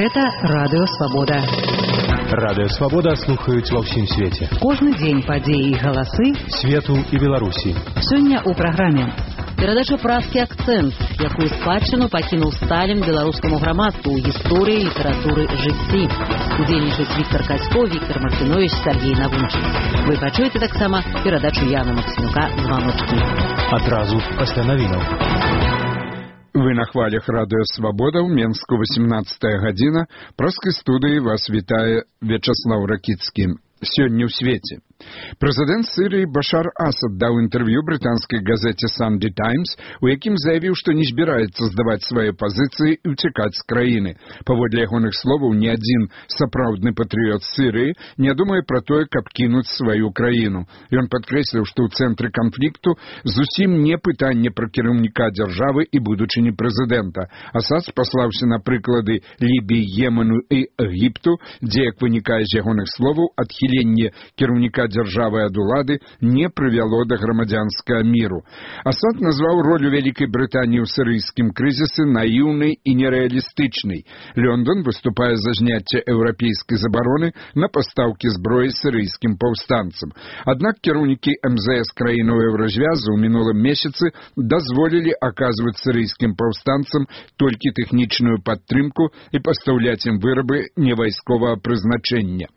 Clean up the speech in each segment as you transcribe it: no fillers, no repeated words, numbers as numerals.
Гэта Радыё Свабода. Радыё Свабода слухаюць ва ўсім свеце. Кожны дзень падзеі і галасы свету і Беларусі. Сёння ў праграме перадача празкі «Акцэнт», якую спадчыну пакінуў Сталін беларускаму грамадству ў гісторыі, літаратуры, жыцці. Удзельнічаюць Віктор Кацько, Віктор Мартынович, Сергей Навунчык. Вы пачуеце таксама перадачу Яна Максімюка «Званочкі». Адразу пасля навінаў. Вы на хвалях Радыё Свабода, ў Менску 18 гадзіна. Праскай студыі вас вітае Вячаслаў Ракіцкі. Сёння ў свеце. Прэзідэнт Сірыі Башар Асад даў інтэрв'ю брытанскай газеце «Санday Times», у якім заявіў, што не збіраецца здаваць свае пазіцыі і ўцякаць з краіны. Паводле ягоных словаў, ні адзін сапраўдны патрыёт Сірыі не думае пра тое, каб кінуць сваю краіну. Ён падкрэсліў, што ў цэнтры канфлікту зусім не пытанне пра кіраўніка дзяржавы і будучыні прэзідэнта. Асад спаслаўся на прыклады Лібіі, Йемену і Егіпту, дзе, як вынікае з ягоных словаў, адхіленне кіраўніка дзяржавы ад улады не прывяло да грамадзянскага міру. Асад назваў ролю Вялікай Брытаніі ў сірыйскім крызісе наіўнай і нерэалістычнай. Лондон выступае за зняцце еўрапейскай забароны на пастаўкі зброі сірыйскім паўстанцам. Аднак кіраўнікі МЗС краінаў Еўразвязу ў мінулым месяцы дазволілі аказваць сірыйскім паўстанцам толькі тэхнічную падтрымку і пастаўляць ім вырабы невайсковага прызначэння.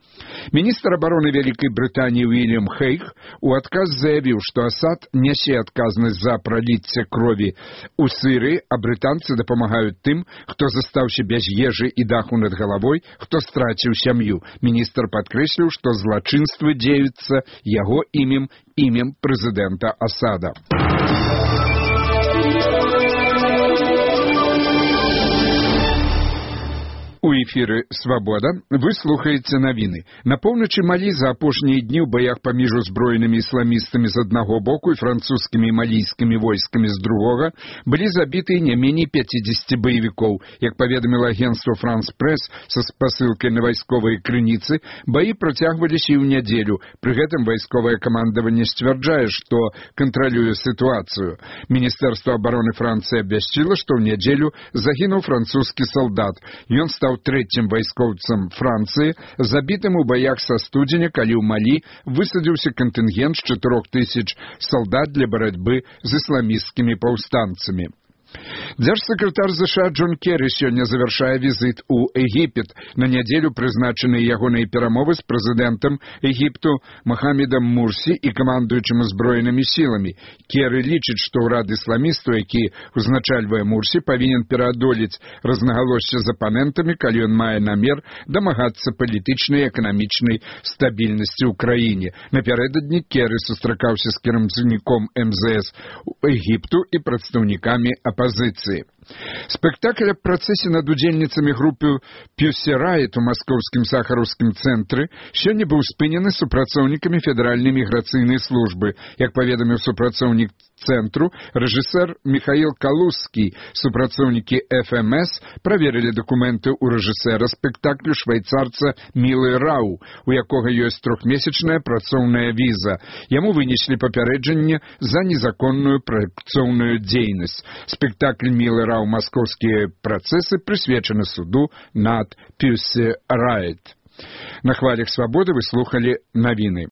Міністр абароны Вялікай Брытаніі Уильям Хейг у адказ заявіў, што Асад нясе адказнасць за праліцце крові ў Сірыі, а брытанцы дапамагаюць тым, хто застаўся без ежы і даху над галавой, хто страціў сям'ю. Міністр падкрэсліў, што злачынствы дзеюцца яго імем прэзідэнта Асада. У эфіры «Свабода» вы слухаеце навіны. На поўначы Малі за апошнія дні ў баях паміж узброенымі ісламістамі з аднаго боку і французскімі і малійскімі войскамі з другога былі забіты не меней 50 баевікоў. Як паведаміла агенцтва «Франс Прэс» са спасылкай на вайсковыя крыніцы, баі працягваліся і ў нядзелю. Пры гэтым вайсковае камандаванне сцвярджае, што кантралюе сітуацыю. Міністэрства абароны Францыі абвясціла, што ў нядзелю загінуў французскі салдат. Ён стаў трэцім вайскоўцам Францыі, забітым у баях са студзеня, калі ў Малі высадзіўся кантынгент з 4000 салдат для барацьбы з ісламісцкімі паўстанцамі. Дзяржсакратар США Джон Керрі сёння завяршае візіт у Егіпет. На нядзелю прызначаныя ягоныя перамовы з прэзідэнтам Егіпту Махамедам Мурсі і камандуючым узброенымі сіламі. Керрі лічыць, што ўрад ісламістаў, які узначальвае Мурсі, павінен пераадолець рознагалоссі з апанентамі, калі ён мае намер дамагацца палітычнай і эканамічнай стабільнасці ў краіне. Напярэдадні Керрі сустракаўся з кіраўніком МЗС Егіпту і прадстаўнікамі апазіцыі. Спектакль аб працэсе над удзельніцамі групы Pussy Riot у маскоўскім сахараўскім цэнтры сёння быў спынены супрацоўнікамі федэральнай міграцыйнай службы. Як паведаміў супрацоўнік цэнтру, рэжысэр Михаил Калузскі, супрацоўнікі ФМС праверылі дакументы ў рэжысэра спектаклю швейцарца Мілы Рау, у якога ёсць 3-месячная працоўная віза. Яму вынеслі папярэджанне за незаконную працоўную дзейнасць. Спектакль Мілы Рау «Маскоўскія працэсы» прысвечаны суду над Pussy Riot. На хвалях «Свабоды» вы слухалі навіны.